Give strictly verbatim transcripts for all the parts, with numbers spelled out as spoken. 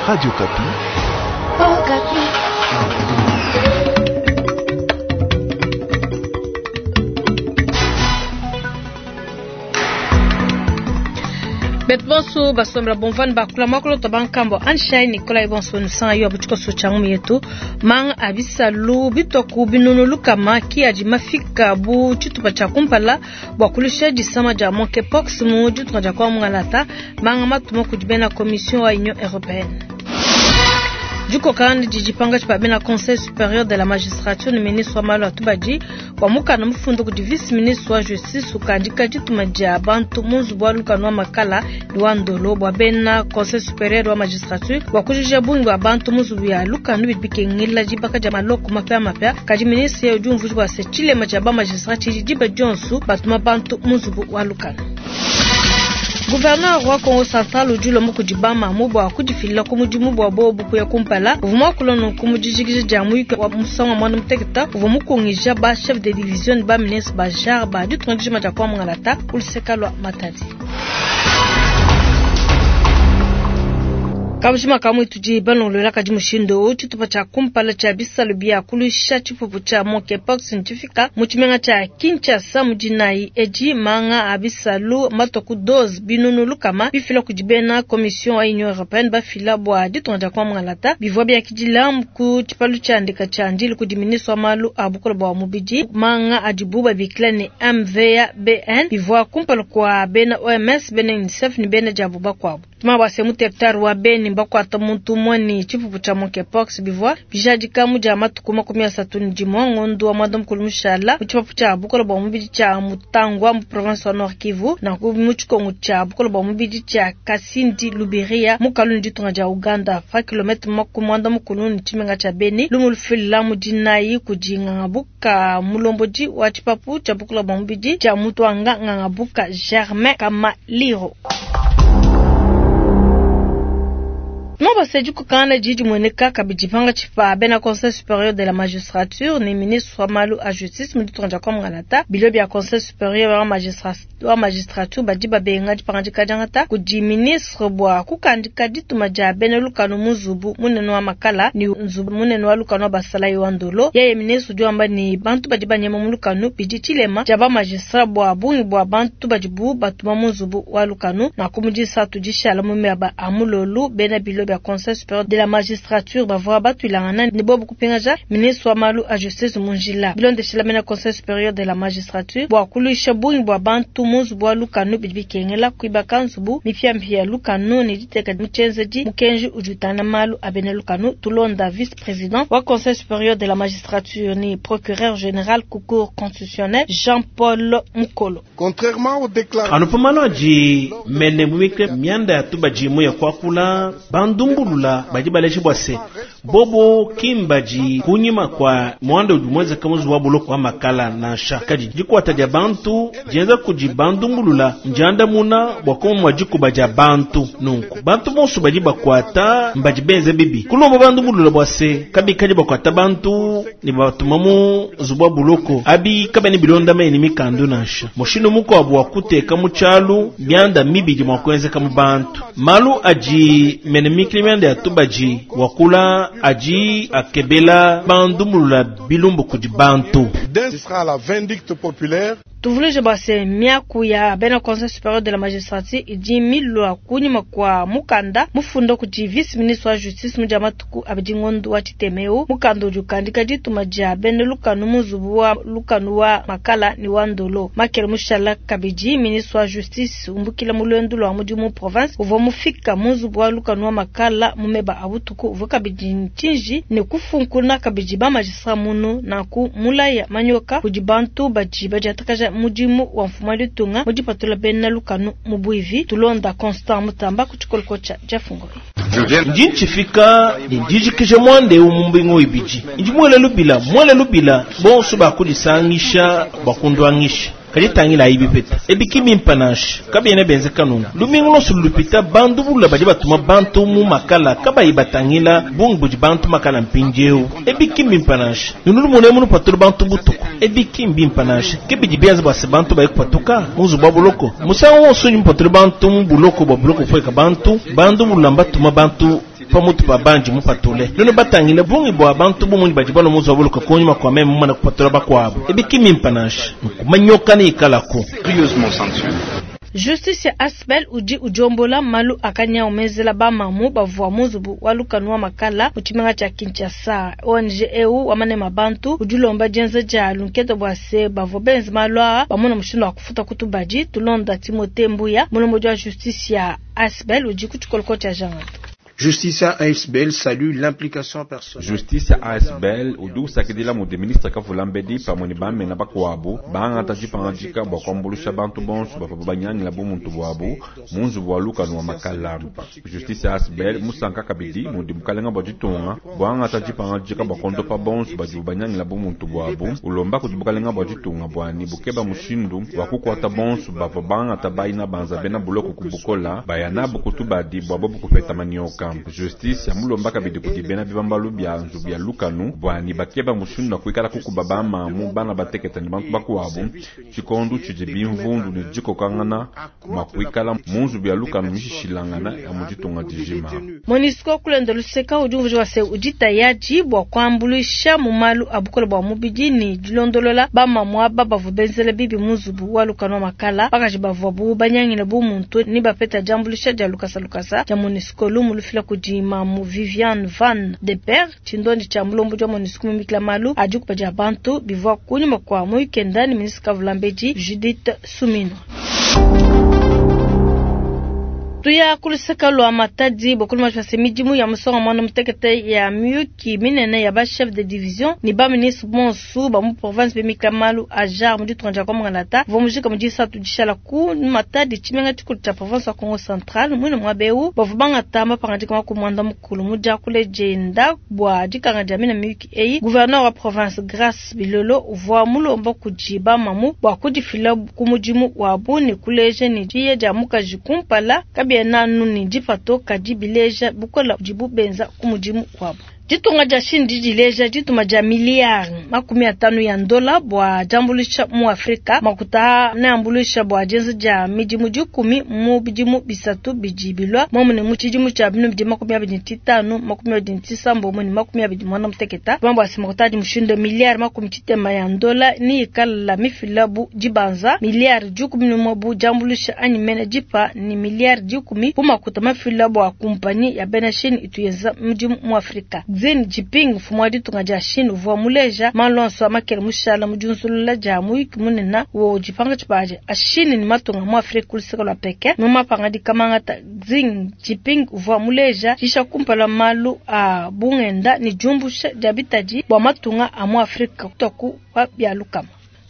Radio Okapi. Okapi. Beto bonso basombela bomvani bakula mwakolo to bankambo Anshai Nikolai bonso nusanga yo abuchiko changu yetu mang abisalu bitoku binunu lukama ki adi mafika bu tshitupa tshia kumpala bua kulusha disama dia monkeypox mu ditunga dia kwa mungalata manga matuma kudi bena commission wa Union européenne. Dikokana didi pankatshi pa bena conseil supérieur de la magistrature ne ministre wa malu a tubadi wa mukanda mufundu kudi vice ministre wa justice ukandika dituma dia bantu mu nzubu wa lukanu wa makala ne wa ndolo bua bena conseil supérieur wa magistrature bua kujuja bungi bua bantu mu nzubu ya lukanu bidi bikengela dibaka dia maloko mapiamapia. Kadi ministre udi umvuija bua se tshilema tshia ba magistrat tshidi diba dionso batuma bantu mu nzubu wa lukanu. Gouverneur wa Kongo Central udi ulomba kudi bamamu bua kudifila ku mudimu bua bobu kuya kumpala. Uvua muakula nunku mu dijikija dia muyuki wa musangu wa muanda mutekete uvua mukungija ba chef de division ne ba ministre ba genre ba ditunga dijima dia kwa mungalata ku luseke lua Matadi. Kabujima kamwe tudi balongolola kadi mushindu tshitupa tshia kumpala tshia bisalu bia kulusha tshipupu tshia monkeypox ntshifika mu tshimenga tshia Kinshasa mu dinayi edi manga a bisalu matwa ku dose binunu lukama bifila kudi bena commission wa Union européenne bafila bua ditunga dia kwa mungalata bivua biakidila ku tshipalu tshia ndeka tshia ndili kudi ministre wa malu a bukole bua mubidi manga adibu babikila ne M V A B N bivua kumpala kwa bena O M S bena UNICEF ne bena diabu bakuabu. Mabase mu territoire wa Beni bakwata muntu umwe ni tshipupu tshia monkeypox bivua bijadika mu dia matuku makumi asatu ne dimue ngondo wa mwanda mukulu mushala mu tshipapu tshia bukole bua mubidi tshia Mutangwa mu province wa Nord Kivu na mu tshikongo tshia bukole bua mubidi tshia Kasindi Lubiria mu kaluni ditunga dia Uganda pa kilomètre makumi mwanda mukulu ne tshimenga tshia Beni lumu lufila mu dinayi kudi Ngangabuka mulombodi wa tshipapu tshia bukole bua mubidi tshia Mutwanga Ngangabuka Germain Kamaliro. Mabase dikokana didi mueneka kabidi pankatshi pa bena conseil supérieur de la magistrature ne ministre wa malu a justice mu ditunga dia kwa mungalata. Bilo bia conseil supérieur wa magistrature wa magistrature badi babenga dipangadika diangata kudi ministre bua kukandika dituma dia bena lukanu mu nzubu munene wa makala ne nzubu munene wa lukanu wa basalayi wa ndolo. Yeye ministre udi wamba ne bantu badi banyema mu lukanu bidi tshilema dia ba magistrat bua bungi bua bantu badibu batuma mu nzubu wa lukanu na ku mudisatu dishala mu miaba a mulolu bena bilo bia conseil supérieur de la magistrature bavua batuilangana ne bobu kupingaja ministre wa malu a justice mu njila bilondeshela mena conseil supérieur de la magistrature bua kuluisha bungi bua bantu mu nzubu wa lukanu bidi bikengela kuibaka nzubu mipiamipia ya lukanu ne diteka mu tshienzedi mukenji udi utana malu a bena lukanu. Tulonda vice président wa conseil supérieur de la magistrature ni procureur général ku cour constitutionnelle Jean-Paul Mukolo. Contrairement aux déclarations anupamalo adi mene mumike mianda ya tubajimu ya kuakula bandumbulula badi baleji bua se bobo kimbaji kunyima kwa mwanda udi muenzeka muzu wa buloko wa makala nansha kadi dikuata dia bantu dienza kudi bandumbulula ndiandamuna bua kumwa dikuba dia bantu nunku bantu bonso badi bakuata mbadi benze bibi kulomba bandumbulula bua se kabikadi bakuata bantu ne batuma mu nzubu wa buloko abi kabene bilonda mene mikandu nansha mushindu mukuabu wa kuteka mu tshialu bianda mibidi mua kuenzeka mu bantu malu adi mene mikili mianda ya tubaji wakula adi akebela bandumbulula bilumbu kudi bantu. Ce sera la vindicte populaire. Tuvuluje base miaku ya bena conseil supérieur de la magistrature idi milwa kunyima kwa mukanda mufunda kudi vice ministre wa justice mu dia matuku abidi ngondo wa tshitemeu mukanda udi ukandika dituma dia bena lukanu mu nzubu wa lukanu wa makala ne wa ndolo makele mushala kabidi ministre wa justice umbukila mu luendu lua mudimu province uvua mufika mu nzubu wa lukanu wa makala mu meba a butuku uvua kabidi ntshinji ne kufunkuna kabidi ba magistrat munu nanku mulaya manyoka kudi bantu badi badiatakaja mudimu wa mfumu wa ditunga mu dipatula bena lukanu mu buivi. Tulonda Constant Mutamba ku tshikoloko tshia Jafungoi. Ndi ntshifika ne ndijikija muanda eu mu mbingu ibidi ndi muele lubila muele lubila bonso bakudisangisha bakunduangisha kadi tangila ayi bipeta ebiki bimpa nansha kabiena benzeka nunku lumingu lonso lupita bantu bulula badi batuma bantu mu makala kabayi batangila bungi budi bantu makala mpindieu ebiki bimpa nansha nunu lumune munu patula bantu butuku ebiki bimpa nansha kebidi bianza bua se bantu bayi kupatuka mu nzubu wa buloko musangu wonso udi mupatula bantu mu buloko bua buloko kufueka bantu bantu bulula mbatuma bantu Pamutu pa bandi mupatule. Nunu batangile bungi bua bantu bumunyi badi balua mu nzubu wa buluka kunyima kua meme mumane kupatula bakuabu. Ebi ki mimpe nansha. Nkumanyoka ne ikalaku. Justice ya Asbel udi udiombola malu akanya umezela ba mamu bavua mu nzubu wa lukanu wa makala mu tshimenga tshia Kinshasa. O N G eu wa manema bantu udi ulomba dienza dia lunkete bua se bavua benze malu aa bamona mushindu wa kufuta kutubadi. Tulonda Timothée Mbuya mulombodi wa Justice ya Asbel udi ku tshikoloko tshia Jangata. Justice A S B L salue l'implication personnelle. Justice A S B L udi usakidila mudi ministre Kavulambedi pamue ne bamena bakuabu bangata dipangadika bua kuambuluisha bantu bonso bavua banyangila bumuntu buabu mu nzubu wa lukanu wa makala. Justice A S B L musanka kabidi mudi mukalenga bua ditunga buangata dipangadika bua kondopa bonso badi banyangila bumuntu buabu ulomba kudi bukalenga bua ditunga buani bukeba mushindu wa kukuata bonso bavua bangata bayina banza bena buloko kubukola bayana bukutubadi bua bobu kupeta manyoka. Justice ya mulomba kabidi kudi bena bibambalu bia nzubu ya lukanu bwani bakeba mushindu wa kuikala kukuba bamamu bana bateketa ne bantu bakuabu tshikondu tshidi bimvundu ne dikokangana mua kuikala mu nzubu ya lukanu mishishilangana ya mu ditunga dijima. MONUSCO kulenda luseka udi umvuija se udi tayari bua kuambuluisha mu malu a bukole bua mubidi ne dilondolola bamamu aba bavua benzela bibi mu nzubu wa lukanu wa makala bakaji bavua bu banyangile bu muntu ne bapeta diambuluisha dia lukasa lukasa dia MONUSCO lumu lufila kudi mamu Viviane Van de Per tshindondi tshia mulombo wa MONUSCO mumikila malu adi kupadia bantu bivua kunyuma kwa mu weekend ni ministre Kavulambedi Judith Suminwa. Tuya kuluseka lwa Matadi bokulu mashwase midimu ya musonga mwana mutekete ya miyuki minene ya ba chef de division ni ba ministre bonsu ba mu province bemikila malu ajar mu ditunga dia Kongo vomujika mu disatu dishala ku Matadi tshimenga tshikulu tshia province ya Kongo Central mwine mwa beu bavua bangata mapangadika makumwanda mukulu mu diakule dienda bua dikanga dia mina miyuki eyi gouverneur wa province Grace Bilolo uvua mulomba kudi bamamu bua kudifila ku mudimu wabu ne kuleja ne diya dia mukaji kumpala kabiena nuni dipato kadi bileja bukola dibu benza ku mudimu wabu. Ditunga dia Chine didileja dituma dia miliyari makumi atanu ya ndola bua diambuluisha mu Afrika makuta ne ambuluisha bua dienza dia midimu dikumi mu bidimu bisatu bidi bilwa momune mu tshidimu tshia binu bidi makumi abidi ne titanu makumi abidi ne tisambo ne makumi abidi mwana muteketa bambo asi makuta adi mushindo miliyari makumi tshitema ya ndola ni ikala mifila bu dibanza miliyari dikumi ne umue bu diambuluisha anyi mene dipa ni miliyari dikumi bu makuta mafila bua kumpanyi ya bena Chine ituyeza mudimu mu Afrika. Xi Jinping mfumu wa ditunga dia Chine uvua muleja malonso amakele mushala mu diunzulula dia muyuki munene wo dipanga tshibaje a Chine ni matunga mu Afrika kuluseka lwa Pekin mu mapangadika mangata Xi Jinping uvua muleja tshisha kumpala malu a bungenda ni diumbusha dia bitadi bua matunga a mu Afrika kutoku wa bia lukama.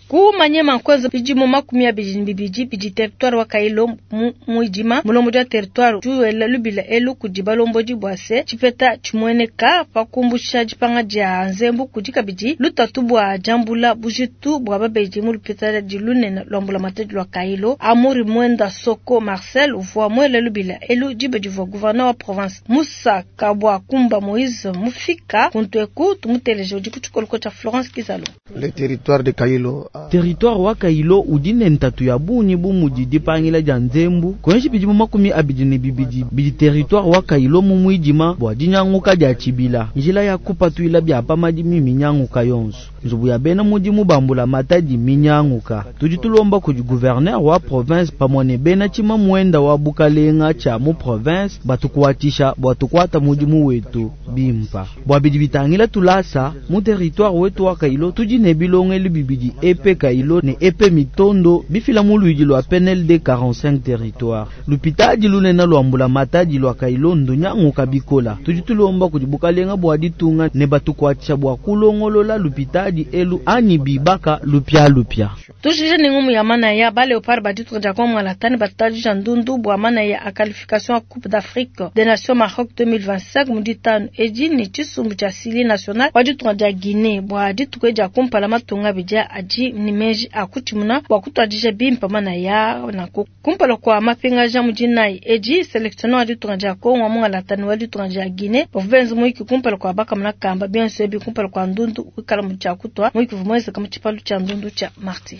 Ku manyema kwanza bidimu makumi abidi bibidi bidi territoire wa Kailo mu muidima mulombo dia territoire juwela lubila elu kudi balombodi bua se tshipeta tshimueneka pakumbusha dipanga dia nzembu kudi kabidi lutatu bua diambula bujitu bua babedi mu lupitala di lunene lwambula matadi lwa Kailo. Amuri Mwenda Soko Marcel uvua mwela lubila elu dibe divua gouverneur wa province Musa Kabwa Kumba Moïse mufika kuntweku tumuteleje udi ku tshikoloko tshia Florence Kizalo. Le territoire de Kailo Territoire wa Kailo udi ne ntatu ya bungi bu mudi dipangila dia nzembu kwenshi bidimu makumi abidi ne bibidi bidi territoire wa Kailo mu muidima bua dinyanguka dia tshibila njila ya kupatuila bia pamadimi minyanguka yonso nzubu ya bena mudimu bambula matadi minyanguka tudi tulomba kudi gouverneur wa province pamue ne bena tshima muenda wa bukalenga tshia mu province batukuatisha bua tukuata mudimu wetu bimpa bua bidi bitangila tulasa mu territoire wetu wa Kailo tudi ne bilongelu bibidi epe Kailo ne epe mitondo bifila mu luidi lwa P N L D quarante-cinq territoire lupitadi lunena lwambula matadi lwa Kailo ndunyanguka bikola tudi tulomba kudi bukalenga bua ditunga ne batukuatisha bua kulongolola lupitadi elu ani bibaka lupia lupia. Tujije ni ngumu ya mana ya ba Leopard ba ditunga dia Kongo latani batadi ndundu bua mana ya a qualification a Coupe d'Afrique des Nations Maroc deux mille vingt-cinq mu ditanu edi ni tshisumbu tshia Sili national wa ditunga dia Guinée bua dituku dia kumpala matunga bidia adi ni meji a kutimuna bua kutuadija bimpa mana ya na kumpala kwa mapingaja mu dinayi edi sélectionneur wa ditunga dia Kongo mu latani wa ditunga dia Guinée bavua benza muyiki kumpala kwa bakamuna kamba bienso ebi kumpala kwa ndundu wikala mu tshia kutwa muyiki vumweza kama tshipalu tshia ndundu tshia Martyr.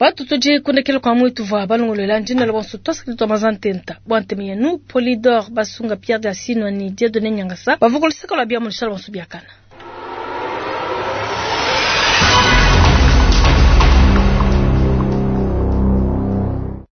Batu tudi kundekela kwa mwitu vwa balongolola ndina la bonso twasakili twa mazantenta bwa nteme yenu Polydor Basunga Pierre Diasinwa ni Dieudonné Nyangasa bavukulusaka lwa bia mulishala bonso biakana.